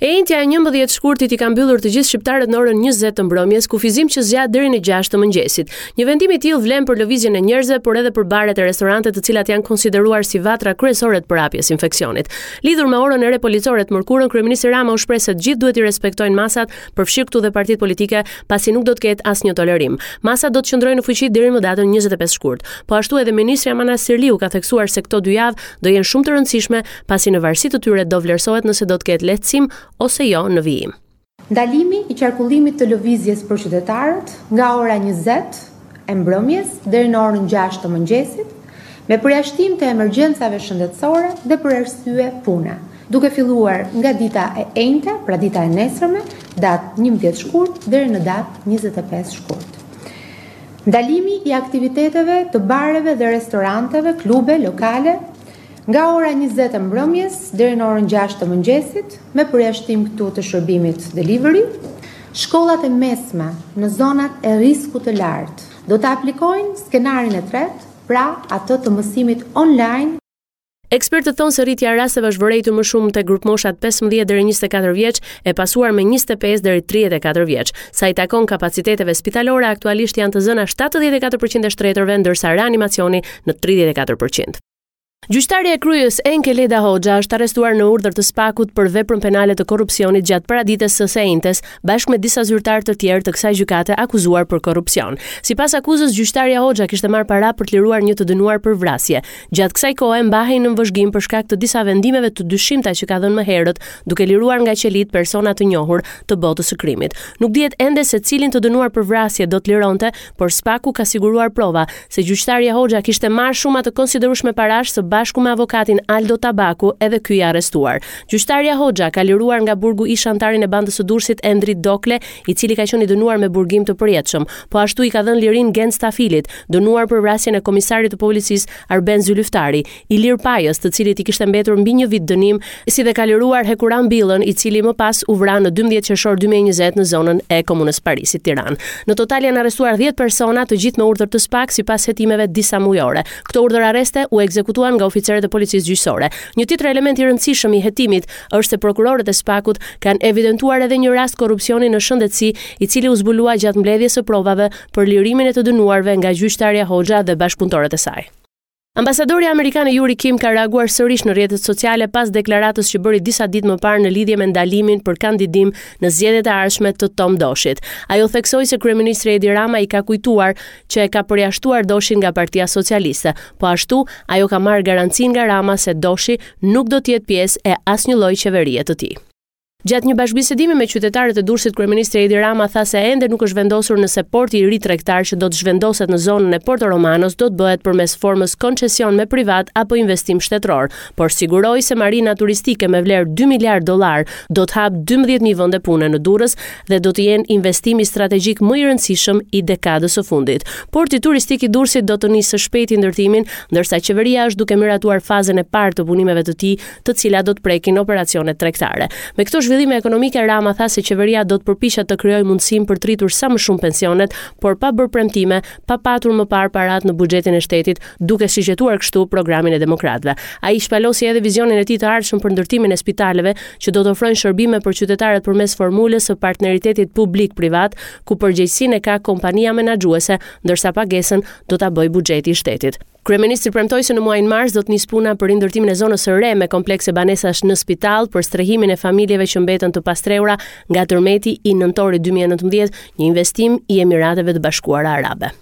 E enjtja e 11 shkurtit i ka mbyllur të gjithë shqiptarët në orën 20 të mbrëmjes, kufizim që zgjat deri në 6 të mëngjesit. Një vendim i tillë vlen për lëvizjen e njerëzve, por edhe për baret e restorantet, të cilat janë konsideruar si vatra kryesore të përhapjes së infeksionit. Lidhur me orën e re policore të mërkurën, kryeministri Rama u shpreh se të gjithë duhet t'i respektojnë masat, përfshirë këtu dhe partitë politike, pasi nuk do të ketë asnjë tolerim. Masat do të qëndrojnë në fuqi deri më datën 25 shkurt. Po ashtu edhe ministrja Manastirliu ka theksuar se këto dy javë do jenë shumë të rëndësishme, pasi në varësi të tyre do vlerësohet nëse do të ketë lehtësim ose jo në vijim. Ndalimi i qarkullimit të lëvizjes për qytetarët nga ora 20 e mbrëmjes deri në orën 6 të mëngjesit, me përjashtim të emergjencave shëndetësore dhe për arsye pune, duke filluar nga dita e enjte, pra dita e nesërme, datë 11 shkurt deri në datë 25 shkurt. Ndalimi i aktiviteteve të bareve dhe restoranteve, klube, lokale, nga ora 20 e mbrëmjes deri në orën 6 të mëngjesit, me përjashtim këtu të shërbimit delivery, shkollat e mesme në zonat e riskut të lartë do të aplikojnë skenarin e tretë, pra atë të mësimit online. Ekspertët thonë se rritja e rasteve është vërejtur më shumë te grupmoshat 15 deri 24 vjeç, e pasuar me 25 deri 34 vjeç. Sa i takon kapaciteteve spitalore, aktualisht janë të zëna 74% e shtretërve, ndërsa reanimacioni në 34%. Gjyqtarja e Krujës Enkeleda Hoxha është arrestuar në urdhër të SPAK-ut për veprën penale të korrupsionit gjatë paradites së së enjtes, bashkë me disa zyrtarë të tjerë të kësaj gjykate akuzuar për korrupsion. Sipas akuzës, gjyqtarja Hoxha kishte marrë para për të liruar një të dënuar për vrasje. Gjatë kësaj kohe mbahej nën vëzhgim për shkak të disa vendimeve të dyshimta që ka dhënë më herët, duke liruar nga qelitë persona të njohur të botës së krimit. Nuk dihet ende se cilin të dënuar për vrasje do të lironte, por SPAK-u ka siguruar prova se gjyqtarja Hoxha kishte marrë shuma të konsiderueshme parash së bashku me avokatin Aldo Tabaku, edhe ky i arrestuar. Gjyqtarja Hoxha ka liruar nga burgu ish-anëtarin e bandës së Durrësit Endrit Dokle, i cili ka qenë i dënuar me burgim të përjetshëm. Po ashtu i ka dhënë lirinë Genc Tafilit, dënuar për vrasjen e komisarit të policisë Arben Zylyftari, Ilir Pajës, të cilit i kishte mbetur mbi një vit dënim, si dhe ka liruar Hekuran Billën, i cili më pas u vra në 12 qershor 2020 në zonën e Komunës Parisit, Tiranë. Në total janë arrestuar 10 persona, të gjithë me urdhër të SPAK sipas hetimeve disa mujore. Këto urdhër arreste u ekzekutuan nga oficerët e policisë gjyqësore. Një tjetër element i rëndësishëm i hetimit është se prokurorët e SPAK-ut kanë evidentuar edhe një rast korrupsioni në shëndetësi, i cili u zbulua gjatë mbledhjes së provave për lirimin e të dënuarve nga gjyqtarja Hoxha dhe bashkëpunëtorët e saj. Ambasadorja amerikane Yuri Kim ka reaguar sërish në rrjetet sociale pas deklaratës që bëri disa ditë më parë në lidhje me ndalimin për kandidim në zgjedhjet e ardhshme të Tom Doshit. Ajo theksoi se kryeministri Edi Rama i ka kujtuar që e ka përjashtuar Doshin nga Partia Socialiste. Po ashtu, ajo ka marrë garancinë nga Rama se Doshi nuk do të jetë pjesë e asnjë lloj qeverie të tij. Gjatë një bashkëbisedimi me qytetarët e Durrësit, kryeministri Edi Rama tha se ende nuk është vendosur nëse porti i ri tregtar që do të zhvendoset në zonën e Porto Romanos do të bëhet përmes formës koncesion me privat apo investim shtetëror, por siguroi se marina turistike me vlerë 2 miliardë dollarë do të hapë 12000 vende pune në Durrës dhe do të jenë investimi strategjik më i rëndësishëm i dekadës së fundit. Porti turistik i Durrësit do të nisë së shpejti ndërtimin, ndërsa qeveria është duke miratuar fazën e parë të punimeve të tij, të cilat do të prekin operacionet tregtare. Me këto zhvillime ekonomike, Rama tha se qeveria do të përpiqet të krijojë mundësinë për të rritur sa më shumë pensionet, por pa bërë premtime, pa patur më parë paratë në buxhetin e shtetit, duke shigjetuar kështu programin e demokratëve. Ai shpalosi edhe vizionin e tij të ardhshëm për ndërtimin e spitaleve që do të ofrojnë shërbime për qytetarët përmes formulës së partneritetit publik-privat, ku përgjegjësinë e ka kompania menaxhuese, ndërsa pagesën do ta bëjë buxheti i shtetit. Kryeministri premtoi se në muajin mars do të nisë puna për rindërtimin e zonës së re me komplekse banesash në Spitallë për strehimin e familjeve që mbetën të pastrehura nga tërmeti i nëntorit 2019, një investim i Emirateve të Bashkuara Arabe.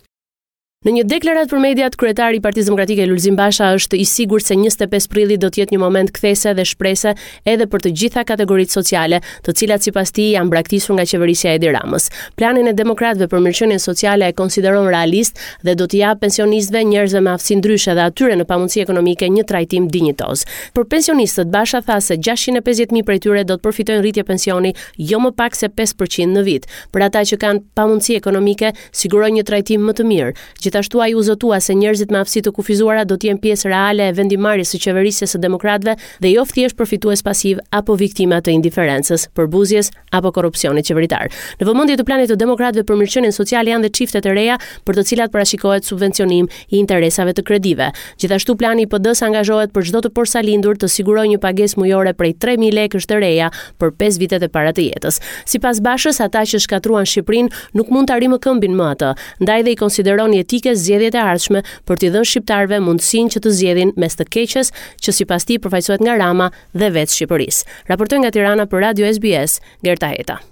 Në një deklaratë për mediat, kryetari i Partisë Demokratike Lulzim Basha është i sigurt se 25 prilli do të jetë një moment kthese dhe shprese edhe për të gjitha kategoritë sociale, të cilat sipas tij janë braktisur nga qeverisja e Edi Ramës. Planin e demokratëve për mirëqenien sociale e konsideron realist dhe do t'i japë pensionistëve, njerëzve me aftësi ndryshe dhe atyre në pamundësi ekonomike një trajtim dinjitoz. Për pensionistët, Basha tha se 650.000 prej tyre do të përfitojnë rritje pensioni jo më pak se 5% në vit. Për ata që kanë pamundësi ekonomike, siguroi një trajtim më të mirë. Gjithashtu ai u zotua se njerëzit me aftësi të kufizuara do të jenë pjesë reale e vendimmarrjes së qeverisjes së demokratëve dhe jo thjesht përfitues pasivë apo viktima të indiferencës, përbuzjes apo korrupsionit qeveritar. Në vëmendje të planit të demokratëve për mirëqenien sociale janë dhe çiftet e reja për të cilat parashikohet subvencionim i interesave të kredive. Gjithashtu plani i PD-së angazhohet për çdo të porsalindur të sigurojë një pagesë mujore prej 3000 lekësh të reja për 5 vitet e para të jetës. Sipas Bashës, ata që shkatërruan Shqipërinë nuk mund ta rimëkëmbin më atë, ndaj dhe i konsideron jetike zgjedhjet e ardhshme për t'i dhënë shqiptarëve mundësinë që të zgjedhin mes të keqes që sipas tij përfaqësohet nga Rama dhe vetë Shqipërisë. Raportoi nga Tirana për Radio SBS, Gerta Heta.